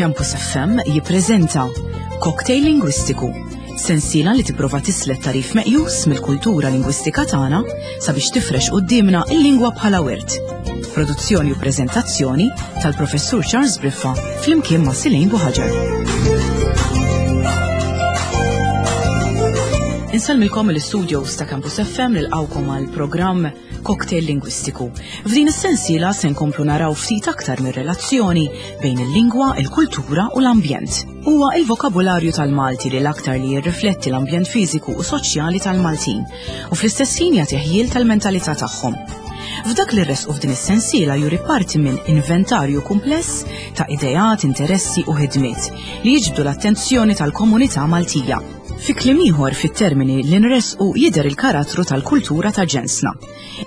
Campus FM jippreżenta Cocktail Lingwistiku, sensiela li tipprova tislet tarif meqjus mill-kultura lingwistika tagħna sabiex tifrex quddiemna il-lingwa bħala wirt. Produzzjoni u preżentazzjoni tal-Professur Charles Briffa flimkien ma' Silejn Buħaġar. Insellmilkom il-studios ta' Campus FM nilqawkom għal programm Cocktail Lingwistiku. F'din is-sensiela se nkomplu naraw ftit aktar mir-relazzjoni bejn il-lingwa, il-kultura u l-ambjent. Huwa il-vokabularju tal-Malti li l-aktar li jirrifletti l-ambjent fiżiku u soċjali tal-Maltin u fl-istess ħin jagħti ħjiel tal-mentalità tagħhom. F'dak li rresqu f'din is-sensiela juri parti minn inventarju kumpless ta' ideat, interessi u ħidmiet li jiġbdu l-attenzjoni tal-komunità Maltija. Fi kliem ieħor fit-termini li nressqu jidher il-karattru tal-kultura ta' ġensna.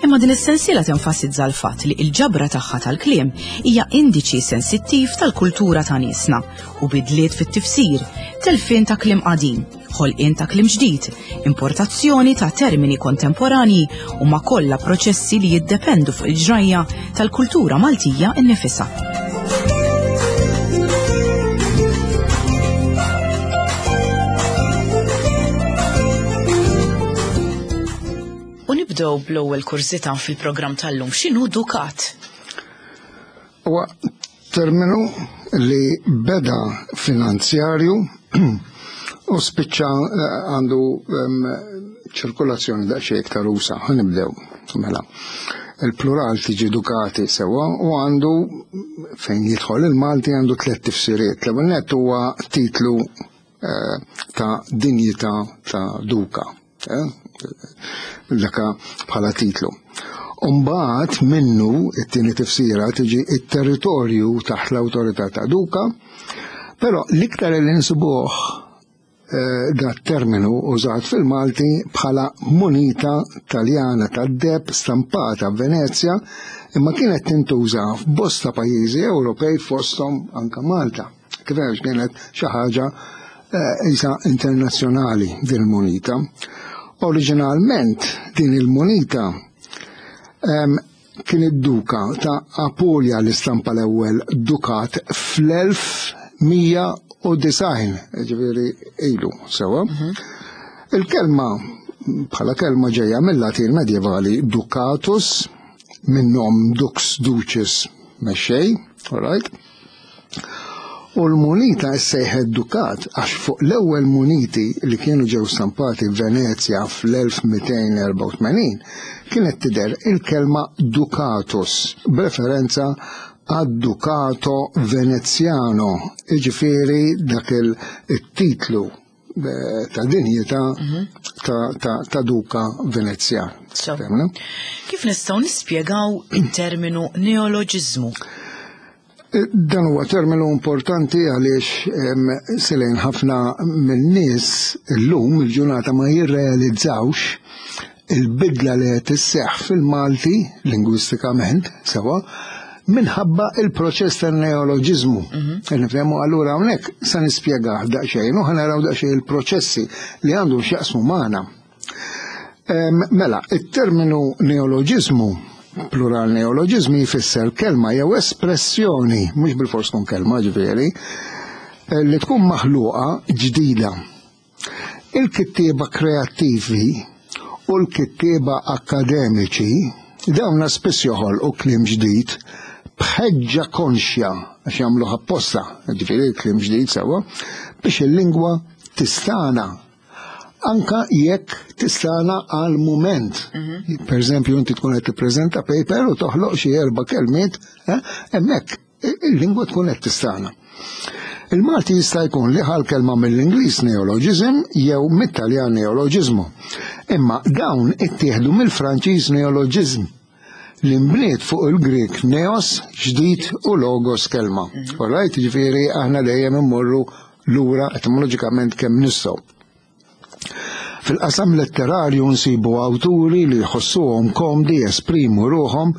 Imma din is-sensiela tenfasizza l-fatt li l-ġabra tagħha tal-kliem hija indiċi sensittiv tal-kultura ta' niesna u bidliet fit-tifsir, telfien ta' kliem qadim, ħolqien ta' kliem ġdid, importazzjoni ta' termini kontemporanji huma kollha proċessi li jiddependu fuq il-ġrajja tal-kultura Maltija nnifisha. U nibdew bl-ewwel kurżità fil-programm tal-lum. X'inhu dukat? Huwa terminu li beda finanzjarju u spiċċa eh, għandu ċirkolazzjoni daqsxejn iktar usa. Nibdew mela. Il-plural tiġi dukati sewa u għandu fejn jidħol il-Malti għandu tliet tifsiriet. L-ewwel nett huwa titlu eh, ta' dinjità ta' duka. Eh, daka bħala titlu. Umbaħt minnu it-tieni tifsira tiġi it-territorju taħt l-awtorità ta' duka, però l-iktar li nsibuh eh, dat terminu użat fil-Malti bħala munita taljana tad-deb stampata f'Venezja imma kienet tintuża f'bosta pajjiżi Ewropej fosthom anka Malta. Kif kienet xi ħaġa eh, isa internazzjonali din il-munita. Oriġinalment din il-munita kien id-duka ta' Apulia li stampa l-ewwel dukat fl-1190, ġifieri ilu sewa. Mhm. Il-kelma bħala kelma ġejja mill-Latin medjevali ducatus, minnhom dux ducis mexxej, all right? U l-munita issejħet dukat għax fuq l-ewwel muniti li kienu ġew stampati f'Venezja fl-1284 kienet tidher il-kelma ducatus b'referenza għad-Ducato Veneziano, jiġifieri dak il-titlu eh, ta' dinjità mhm. ta' duka Venezjan. Kif nistgħu nispjegaw it-terminu neoloġiżmu? Eh, dan huwa terminu importanti għaliex selejn ħafna minn-nies illum il-ġurnata ma jirrealizzawx il-bidla li qed isseħħ fil-Malti lingwistikament sewa minħabba il-proċess tan-neoloġiżmu. Mhm. Nifhemu allura hawnhekk se nispjegah daqsxejn u ħanaraw daqsxejn il-proċessi li għandhom x'jaqsmu magħna. Mela, it-terminu neoloġiżmu plural neoloġiżmi jfisser kelma jew espressjoni, mhux bil-fors tkun kelma ġifieri, eh, li tkun maħluqa ġdida Il-kittieba kreattivi u l-kittieba akkademiċi dawna spiss joħolqu kliem ġdid b'ħeġġa konxja għax jagħmluh apposta, ġifieri kliem ġdid sewwa, biex il-lingwa tistana anka jekk tistana għal mument. Mhm. Per eżempju, inti tkun qed tippreżenta paper u toħloq xi erba' kelmiet, eh, hemmhekk il-lingwa tkun qed tistana. Il-Malti jista' jkun li ħal kelma mill-Ingliż neologism jew mit-Taljan neologismu. Imma dawn ittieħdu mill-Franċiż neologism li nbniet fuq il-Grieg neos, ġdid u logos kelma. Mhm. Alright, ġifieri aħna dejjem immorru lura etimoloġikament kemm nistgħu. Fil-qasam letterarju nsibu awturi li jħossuhom komdi jesprimu ruħhom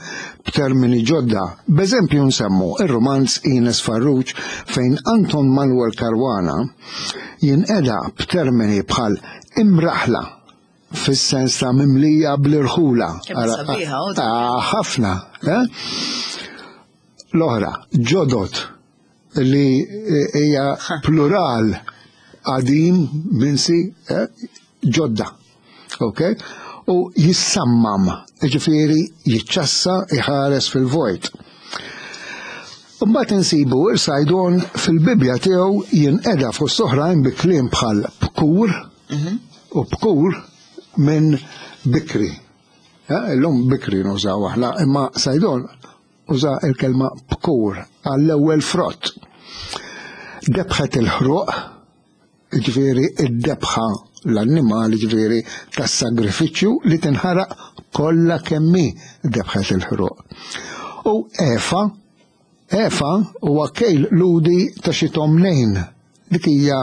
b'termini ġodda. B'eżempju nsemmu ir-rumanz Ines Farrugia fejn Anton Manuel Caruana jinqeda b'termini bħal imraħla fis-sens ta' mimlija bl-irħula. Ah, ħafna. Eh? L-oħra, ġodod. li hija plural qadim minsi eh, ġodda. Ok? U jissammam, ġifieri jiċċassa iħares fil-vojt. Mbagħad insibu il-Sajdon fil-Bibbja tiegħu jinqeda fost oħrajn bi kliem bħal bkur mhm. u bkur minn bikri. Eh, illum bikri nużaw aħna, imma Sajdon uża il-kelma bkur għall-ewwel frott. Debħet il-ħruq, ġifieri id-debħa l-annimal ġifieri tas-sagrifiċċju li tinħaraq kollha kemm hi debħet il-ħruq. U Efa, Efa huwa kejl ludi ta' xi tomnejn. Dik hija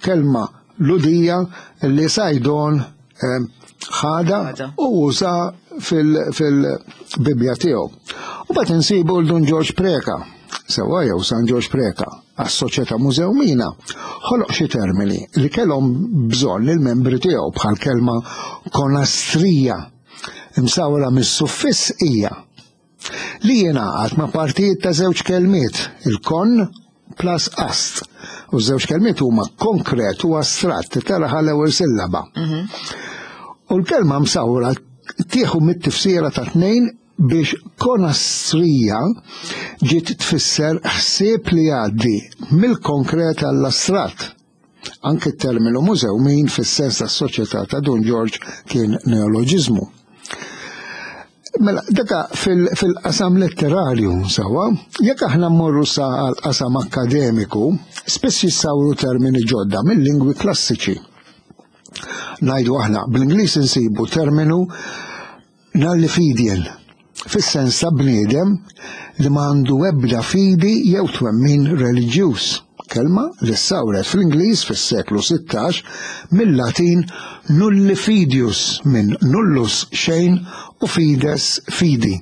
kelma Lhudija li Sajdon eh, ħada u uża fil-Bibbja tiegħu. U bat insibu l Dun Ġorġ Preka, sewwa jew San Ġorġ Preka, għas-Soċjetà Mużewmina, ħoloq xi termini li kellhom bżonn il-membri tiegħu bħal kelma konastrija imsawra mis-suffiss hija li jingħaqad ma' partijiet ta' żewġ kelmiet, il-kon plus ast. U żewġ kelmiet huma konkret u astratt, taraħa l-ewwel sillaba. Mhm. U l-kelma msawra tieħu mit-tifsira ta' tnejn biex konastrija ġiet tfisser ħsieb li jgħaddi mill-konkret għall-astratt. Anke t-terminu mużewmin fis-sens tas-soċjetà ta' Dun Ġorġ kien neoloġiżmu. Mela, daka fil-qasam letterarju, sawa, jekk aħna mmorru sa għal-qasam akademiku, spiss jissawru termini ġodda mill-lingwi klassiċi. Najdu aħna, bl-Ingliż insibu terminu Nullifidian, fis-sens ta' bniedem li ma għandu ebda fidi jew twemmin reliġjuż, kelma li ssawret fl-Ingliż fis-seklu 16 mil-Latin nullifidius minn nullus xejn u fides fidi.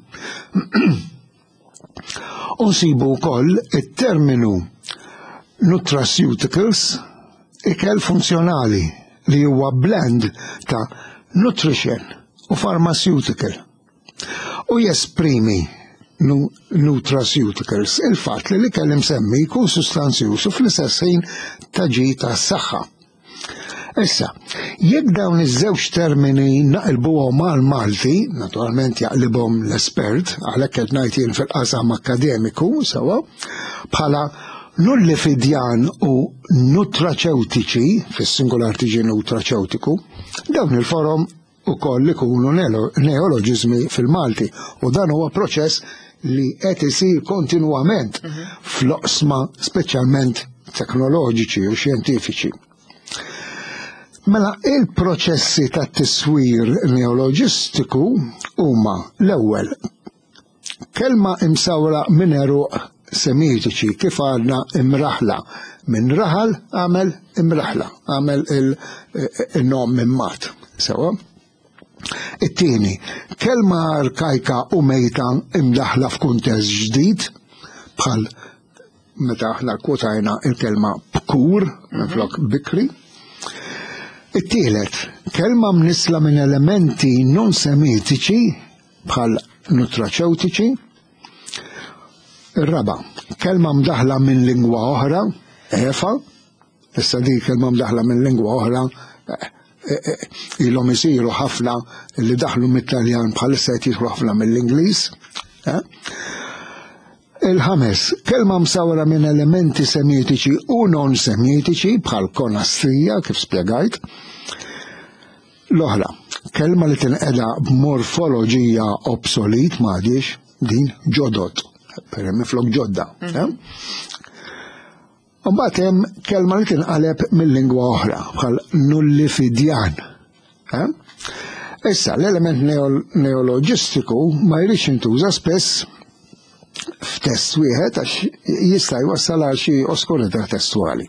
U nsibu wkoll it-terminu nutraceuticals, ikel funzjonali li huwa blend ta' nutrition u pharmaceutical u jesprimi nutraceuticals il-fatt li l-ikel imsemmi jkun sustanzjuż u fl-istess ħin ta' ġid għas-saħħa. Issa, jekk dawn iż-żewġ termini naqilbuhom għal Malti, naturalment jaqlibhom l-espert, għalhekk qed ngħid jien fil-qasam akkademiku, sewa, bħala nullifidjan u nutraċewtiċi, fis-singular tiġi nutraċewtiku, dawn il-forom ukoll ikunu neoloġiżmi fil-Malti u dan huwa proċess li qed isir kontinwament mhm. fl-oqsma speċjalment teknoloġiċi u xjentifiċi. Mela il-proċessi ta' tiswir neoloġistiku huma l-ewwel Kelma imsawra minn għeruq Semitiċi, kif għadna imraħla. Minn raħal għamel imraħla, għamel il-nom minn mat. Sewa? It-tieni, kelma arkajka u mejta imdaħla f'kuntest ġdid, bħal meta aħna kwotajna il-kelma bkur minflok mhm. bikri. It-tielet, kelma mnisla minn elementi non semitiċi bħal nutraċewtiċi. Ir-raba, kelma mdaħla minn lingwa oħra, efa, issa di kelma mdaħla minn lingwa oħra, eh, eh, eh, ilhom isiru ħafna li daħlu mit-Taljan bħalissa qed jidħlu ħafna mill-Ingliż. Il-ħames, kelma msawra minn elementi semitiċi u non semitiċi bħal konastrija kif spjegajt. L-oħra, kelma li tinqeda b'morfoloġija obsolit m'għadhiex din ġodod, per minflok ġodda. Mhm. Eh? Mbagħad hemm kelma li tinqaleb mill-lingwa oħra bħal nullifidjan. Eh? Issa, l-element neoloġistiku ma jridx jintuża spess f'test wieħed għax jista' jwassal għal xi oskurità testwali.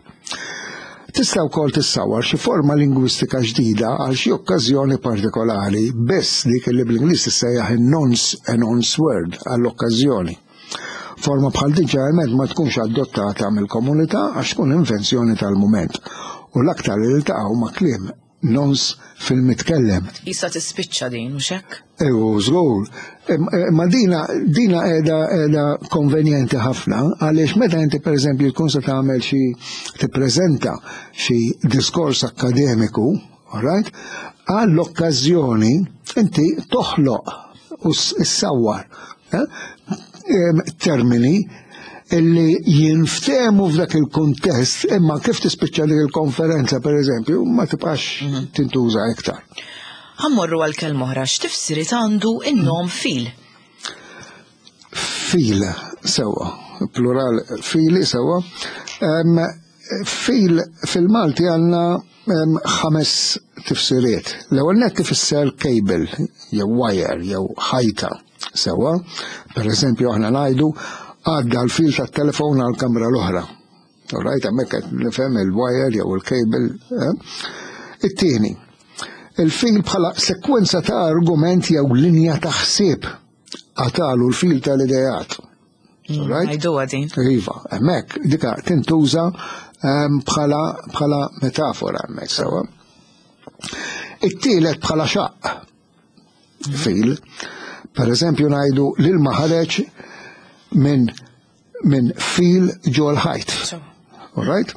Tista' wkoll tissawar xi forma lingwistika ġdida għal xi okkażjoni partikolari, biss dik li bl-Ingliż tissejjaħ in-nonce a nonce word għall-okkażjoni. Forma bħal din ġeneralment ma tkunx adottata mill-komunità għax tkun invenzjoni tal-mument u l-aktar li ltaqgħu ma' kliem. nons fil-mitkellem. Issa tispiċċa din, mhux hekk? Ewu, żgur. Ma dina dina qiegħda qiegħda konvenjenti ħafna għaliex meta inti pereżempju tkun se tagħmel xi tippreżenta xi diskors akkademiku, alright? Għall-okkażjoni inti toħloq u ssawwar eh, termini illi jinftemu f'dak il-kuntest imma kif tispiċċa dik il-konferenza per eżempju ma tibqax mhm. tintuża iktar. Ħammorru għal kelma oħra x'tifsiriet għandu in-nom fil. Fil sewwa, plural fili sewwa. Fil fil-Malti għandna ħames tifsiriet. L-ewwel nett tifisser cable jew wire jew ħajta sewwa. Per eżempju aħna ngħidu għadda l-fil tat-telefon għall-kamra l-oħra. All right, hemmhekk qed nifhem il-wire jew il-cable. Eh? It-tieni, il-fil bħala sekwenza ta' argument jew linja ta' ħsieb għatalu l-fil tal-idejat. Mm, right? Għajdu din. Iva, hemmhekk dika tintuża ehm, bħala bħala metafora hemmhekk sewa. It-tielet bħala xaqq mm. fil. Per eżempju ngħidu l-ilma ħareġ minn minn fil ġol ħajt. All right?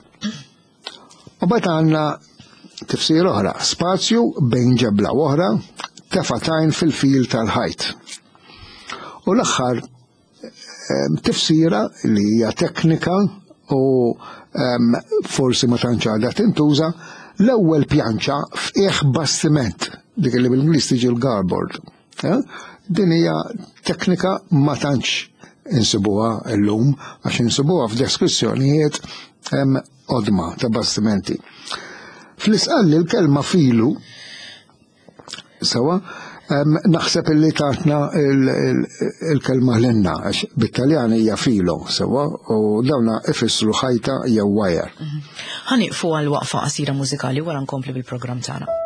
U bat għandna tifsir oħra, spazju bejn ġebla u oħra, tefatajn fil-fil tal-ħajt. U l-aħħar ehm, tifsira li hija teknika u ehm, forsi ma tantx għadha tintuża, l-ewwel pjanċa f'qiegħ bastiment, dik li bil-Ingliż tiġi l-garboard. Eh? Din hija teknika ma tantx insibuha llum għax insibuha f'deskrizzjonijiet qodma ta' bastimenti. Fl-isqalli l-kelma filu sewa naħseb illi tatna il-kelma l-inna, għax bit-Taljan hija filo, sewa, u dawna ifissru ħajta jew wire. Mhm. Ħaniqfu għal waqfa qasira mużikali wara nkompli bil-programm tagħna.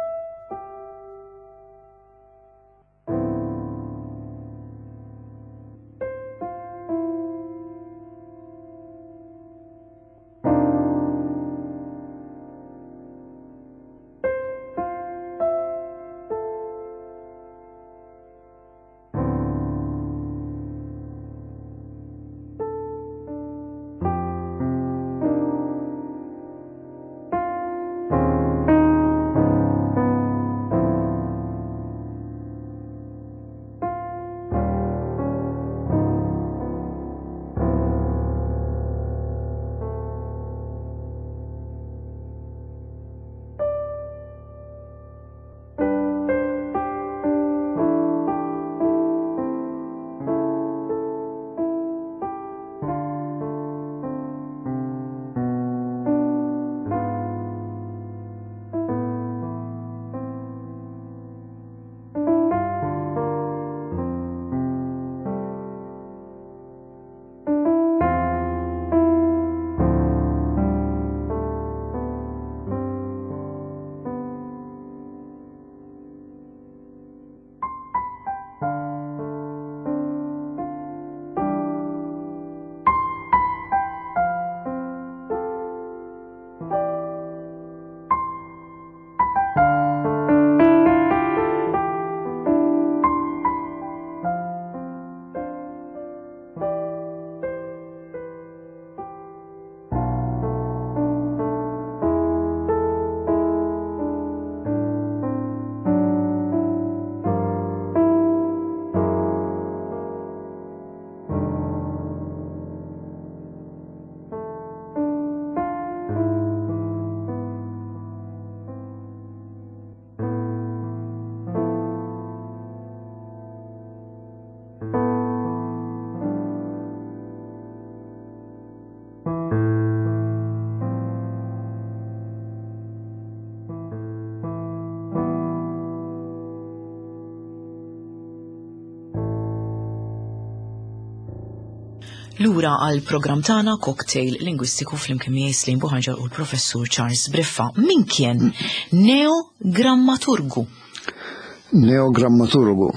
Lura għal programm tagħna Cocktail Lingwistiku flimkien miegħi Slim Buħanġar u l-Professur Charles Briffa. Min kien neogrammaturgu? Neogrammaturgu.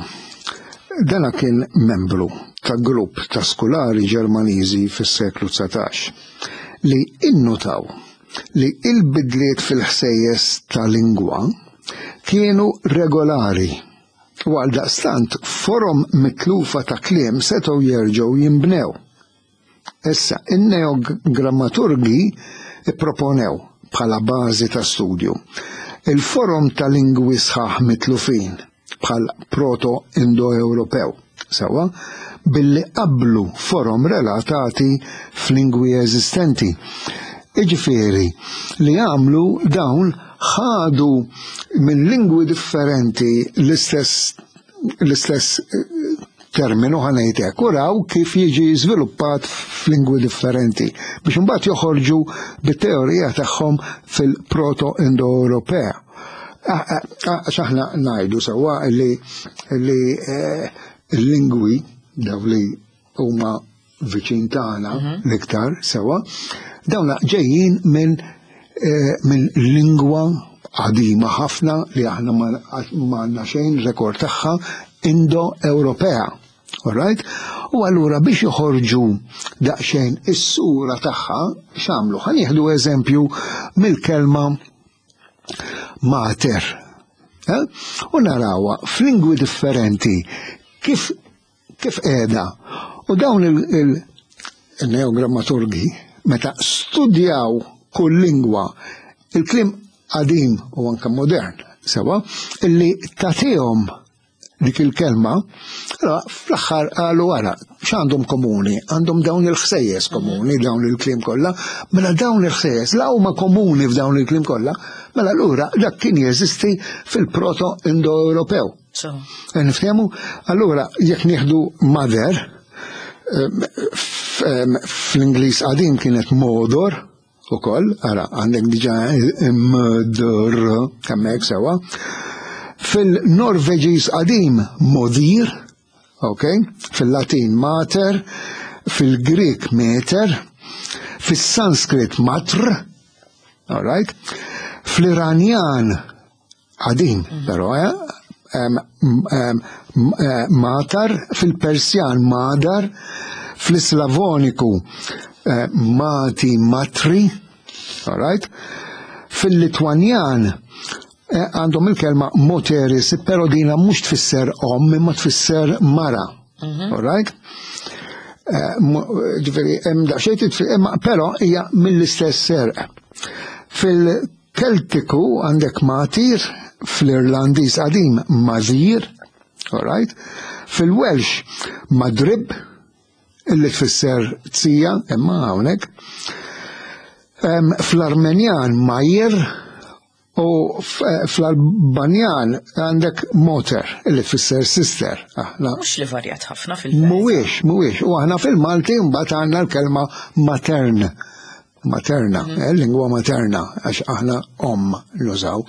Dana kien membru ta' grupp ta' skulari Ġermaniżi fis-seklu 19 li innutaw li il-bidliet fil-ħsejjes ta' lingwa. kienu regolari u għaldaqstant forom mitlufa ta' kliem setgħu jerġgħu jinbnew. Issa, in-neogrammaturgi pproponew, bħala bażi ta' studju, il-forom ta' lingwi sħaħ mitlufin, bħal Proto-Indo-Ewropew, sewwa, billi qabblu forom relatati f'lingwi eżistenti. Jiġifieri, li għamlu dawn ħadu minn lingwi differenti l-istess l-istess terminu ħa ngħid hekk u raw kif jiġi żviluppat f'lingwi differenti biex imbagħad joħorġu bit-teorija tagħhom fil-Proto-Indo-Ewropea. Għax aħna ngħidu sewwa li l-lingwi daw li huma viċin tagħna mhm. l-iktar sewwa, dawna ġejjin minn eh, min lingwa qadima ħafna li aħna ma għandna xejn rekord tagħha Indo-Ewropea. Alright? U allura biex joħorġu daqsxejn is-sura tagħha x'għamlu? Ħa nieħdu eżempju mill-kelma mater. Eh? U narawha f'lingwi differenti kif kif qiegħda. U dawn il-neogrammaturgi meta studjaw kull lingwa il-kliem qadim u anke modern sewa illi tagħtihom dik il-kelma, allora fl-aħħar qalu ara x'għandhom komuni? Għandhom dawn il-ħsejjes komuni, dawn il-kliem kollha, mela dawn il-ħsejjes la huma komuni f'dawn il-kliem kollha, mela allura dak kien jeżisti fil-proto-Indo-Ewropew. Eh, niftehmu? Allura, jekk nieħdu mother, fl-Ingliż qadim kienet modor ukoll, ara għandek diġà mdr hemmhekk sewwa. Fil-Norveġiż qadim modir, ok, fil-Latin mater, fil-Grik meter, fis-Sanskrit matr, all right, fl-Iranjan Qadim, mhm. però, eh, eh, matar, fil-Persjan madar, fl-Islavoniku eh, mati matri, all right? Fil-Litwanjan għandhom il-kelma moteris, pero dina mhux tfisser om, imma tfisser mara. Mhm. All right? Ġifieri, hemm daqsxejn però hija mill-istess serq. Fil Keltiku għandek Matir, fl-Irlandiż qadim Mazir, all right? Fil-Welsh Madrib, illi tfisser tija, imma hawnhekk. Fl-Armenjan Majir u fl-Albanjan għandek Moter, illi tfisser sister. Aħna. Mhux li varjat ħafna fil Mhuwiex, mhuwiex. U aħna fil-Malti mbagħad għandna l-kelma matern. Materna, mhm. eh, lingwa materna, għax aħna om nużaw.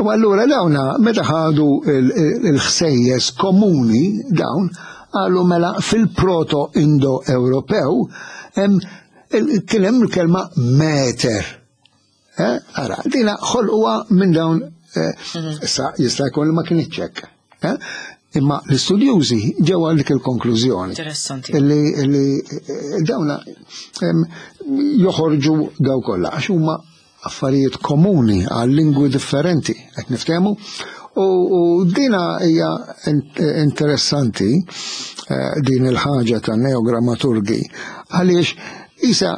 U allura dawna, meta ħadu il-ħsejjes komuni dawn, għalu mela fil-proto-Indo-Ewropew, kien hemm il-kelma meter. Eh, ara, dina ħolquha minn dawn eh, mhm. issa jista' jkun li ma kienx hekk. Eh? Imma l-istudjużi ġew għal dik il-konklużjoni. Interessanti. Illi dawna joħorġu daw kollha għax huma affarijiet komuni għal lingwi differenti, qed niftehmu. U dina hija interessanti din il-ħaġa ta' neogrammaturgi għaliex isa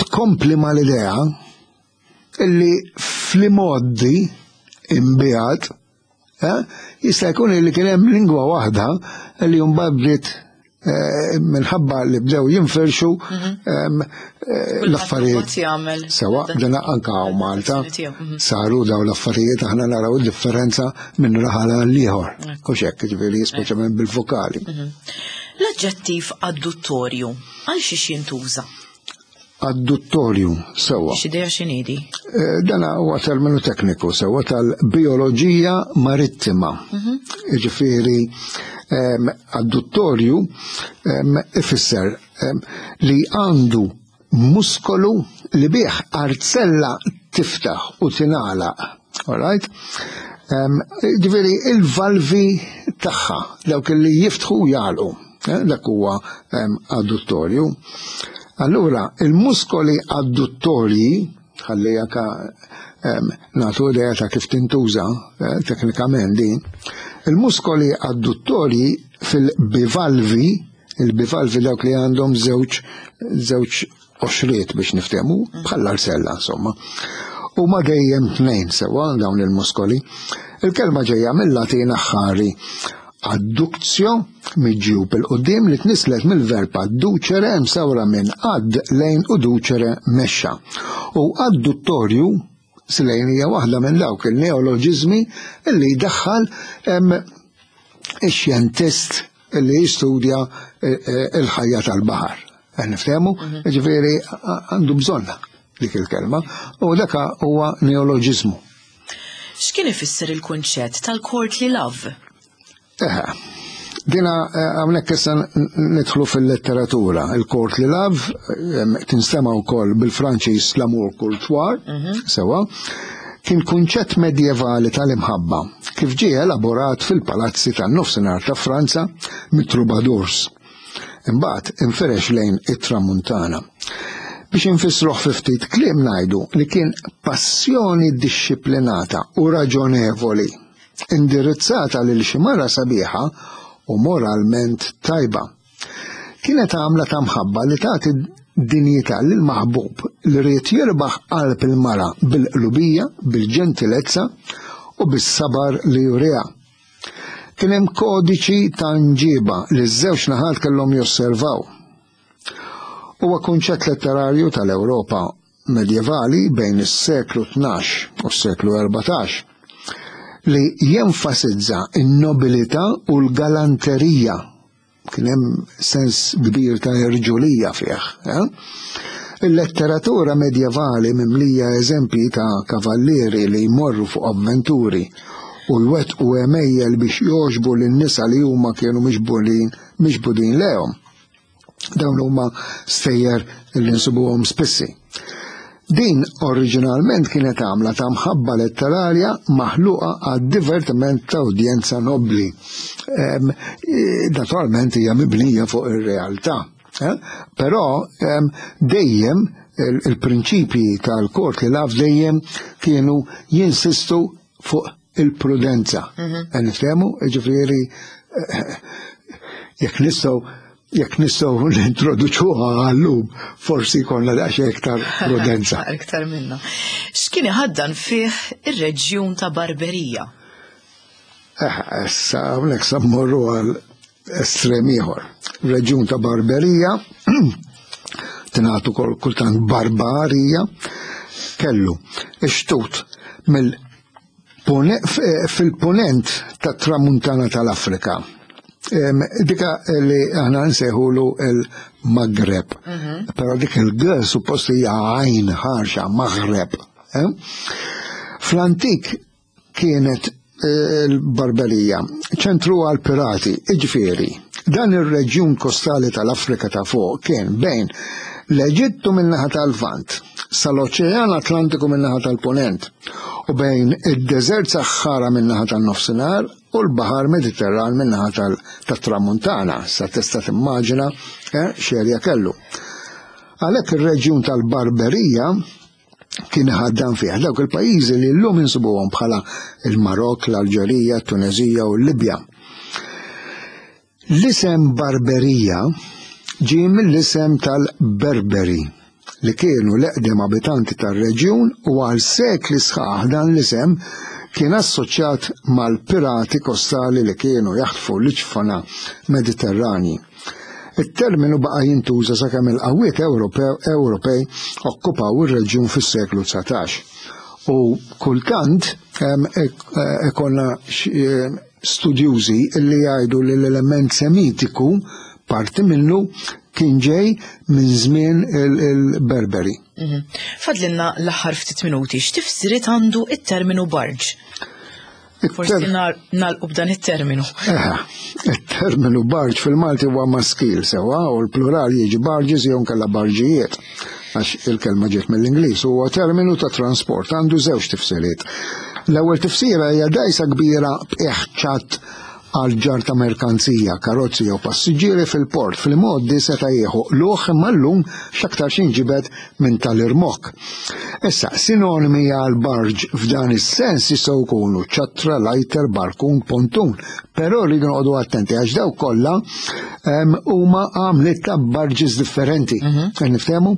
tkompli mal-idea illi fl-imgħoddi imbiegħed eh, jista' jkun li kien hemm lingwa waħda li mbagħad bdiet eh, minħabba li bdew jinfirxu mhm. eh, l-affarijiet. Sewa, dana anka hawn Malta mhm. saru daw l-affarijiet aħna naraw differenza minn raħal għal ieħor. U xekk, ġifieri speċjalment bil-vokali. Mhm. L-aġġettiv adduttorju għal xiex jintuża? Adduttorju, sewwa. X'idea x'inhi di? Eh, dan huwa terminu tekniku sewwa tal-bioloġija marittima. Mhm. Jiġifieri ehm, adduttorju ehm, ifisser ehm, li għandu muskolu li bih arzella tiftaħ u tingħalaq. All right? Ġifieri il-valvi tagħha dawk li jiftħu u jagħlqu. Eh, dak huwa adduttorju. Allura, il-muskoli adduttorji, ħalli jaka nagħtu idea ta' kif tintuża eh, teknikament din. Il-muskoli adduttorji fil-bivalvi, il-bivalvi dawk li għandhom żewġ żewġ qoxriet biex niftehmu, bħall-arsella insomma. U ma dejjem tnejn sewa dawn il-muskoli. Il-kelma ġejja mill-Latin aħħari adductio miġjub il-qudiem li tnislet mill-verb adducere msawra minn ad lejn u ducere mexxa. U adduttorju slejn hija waħda minn dawk il-neoloġiżmi li jdaħħal ix-xjentist li jistudja eh, eh, il-ħajja tal-baħar. Eh, niftehmu, mhm. ġifieri għandu bżonna dik il-kelma u daka huwa neoloġiżmu. X'kien ifisser il-kunċett tal-courtly love? Eħe, dina hawnhekk issa nidħlu fil-letteratura. Il-courtly love tinstema' wkoll bil-Franċiż l-amour courtois, mhm. sewa, kien kunċett medjevali tal-imħabba kif ġie elaborat fil-palazzi tan-nofsinhar ta' Franza mit-troubadours. Imbagħad infirex lejn it-tramuntana. Biex infissruh fi ftit kliem ngħidu li kien passjoni dixxiplinata u raġonevoli indirizzata lil xi mara sabiħa u moralment tajba. Kienet għamla ta' mħabba li tagħti dinjità lil maħbub li ried jirbaħ qalb il-mara bil-qlubija, bil-ġentilezza u bis-sabar li juriha. Kien hemm kodiċi ta' nġiba li ż-żewġ naħat kellhom josservaw. Huwa kunċett letterarju tal-Ewropa medjevali bejn is-seklu 12 u s-seklu 14 li jenfasizza n-nobilità u l-galanterija Kien hemm sens kbir ta' irġulija fih. Eh? Il-letteratura medjevali mimlija eżempji ta' kavallieri li jmorru fuq avventuri u jwettqu għemejjel biex jogħġbu lin-nisa li huma kienu miġbudin miġbudin lejhom. Dawn huma stejjer li nsibuhom spissi. Din oriġinalment kienet għamla ta' mħabba letterarja maħluqa għad-divertiment ta' udjenza nobbli. E, naturalment hija mibnija fuq ir-realtà. Eh? Però dejjem il-prinċipji tal-kort li laf dejjem kienu jinsistu fuq il-prudenza. Mhm. Niftehmu, ġifieri eh, jekk nistgħu jekk nistgħu nintroduċuha għallum, forsi jkollna daqsxejn iktar prudenza. Iktar minna. X'kien iħaddan fih ir-reġjun ta' Barberija? Eh, issa hawnhekk sa mmorru għal estrem ieħor. Reġjun ta' Barberija tingħatu kultant Barbarija kellu ix-xtut mill fil-punent tat-tramuntana tal-Afrika. Dika li aħna nsejħulu il-Maghreb. Mhm. Però dik il-G suppost hija għajn ħarxa Maghreb. Eh? Fl-antik kienet eh, l-Barberija, ċentru għal pirati, iġifieri. Dan ir-reġjun kostali tal-Afrika ta' fuq kien bejn l-Eġittu min-naħa tal-Lvant sal-Oċean Atlantiku min-naħa tal-Punent u bejn id-Deżert Saħħara min-naħa tan-Nofsinhar u l-Baħar Mediterran min-naħa tat-Tramuntana. Sa tista' timmaġina eh, x'erja kellu. Għalhekk ir-reġjun tal-Barberija kien ħaddan fih dawk il-pajjiżi li llum insibuhom bħala il-Marok, l-Alġerija, t-Tunezija u l-Libja. L-isem Barberija ġie mill-isem tal-Berberi li kienu l-eqdem abitanti tar-reġjun u għal sekli sħaħ dan l-isem kien assoċjat mal-pirati kostali li kienu jaħtfu l-iġfana Mediterranji. It-terminu baqa' jintuża sakemm il-qawwiet Ewropej okkupaw ir-reġjun fis-seklu 19. U kultant ikollna studjużi li jgħidu li l-element semitiku parti minnu kien ġej minn żmien il-Berberi. Mhm. Fadlinna l-aħħar ftit minuti, x'tifsiriet għandu it-terminu barġ? Forsi nagħlqu b'dan it-terminu. Il-terminu barġ fil-Malti huwa maskil sewa u l-plural jiġi barġis jew nkella barġijiet għax il-kelma ġiet mill-Ingliż huwa terminu ta' transport għandu żewġ tifsiriet. L-ewwel tifsira hija dgħajsa kbira b'qiegħ ċatt għal ġarr ta' merkanzija, karozzi jew passiġġieri fil-port fl-imgħoddi seta' jieħu qlugħ imma llum x'aktarx jinġibed minn tal-irmokk. Issa, sinonimi għal barġ f'dan is-sens jistgħu jkunu ċattra, lighter, barkun, pontun, però rridu noqogħdu attenti għax dawk kollha huma għamliet ta' barġis differenti. Mhm. Niftehmu?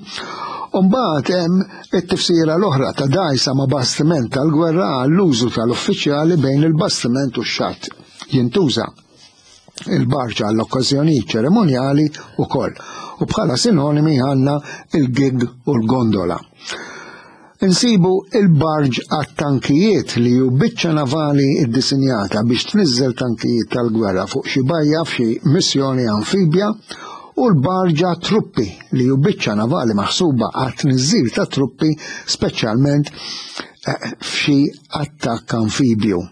Umbagħad hemm it-tifsira l-oħra ta' dgħajsa ma' bastiment tal-gwerra għall-użu tal-uffiċjali bejn il-bastiment u x-xatt. Jintuża il-barġa għall-okkażjonijiet ċerimonjali wkoll u bħala sinonimi għandna il-gig u l-gondola. Insibu il-barġ għat-tankijiet li hu biċċa navali ddisinjata biex tniżżel tankijiet tal-gwerra fuq xi bajja f'xi missjoni amfibja u l-barġ għat-truppi li hu biċċa navali maħsuba għat-tniżżil ta' truppi speċjalment eh, f'xi attakk amfibju.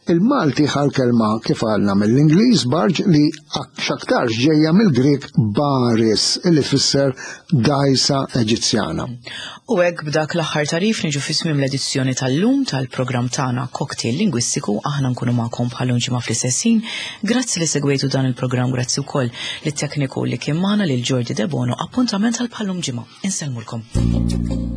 Il-Malti ħa l-kelma kif għalna mill-Ingliż barge li x'aktarx ġejja mill-Grieg baris li tfisser dgħajsa Eġizzjana. U hekk b'dak l-aħħar tagħrif niġu fi tmiem l-edizzjoni tal-lum tal-programm tagħna Cocktail Lingwistiku aħna nkunu magħkom bħal-lum ġimgħa fl-istess ħin. Grazzi li segwejtu dan il-programm grazzi wkoll lit-tekniku li kien magħna lil Jordi Debono appuntament għal bħal-lum ġimgħa. Insellmulkom.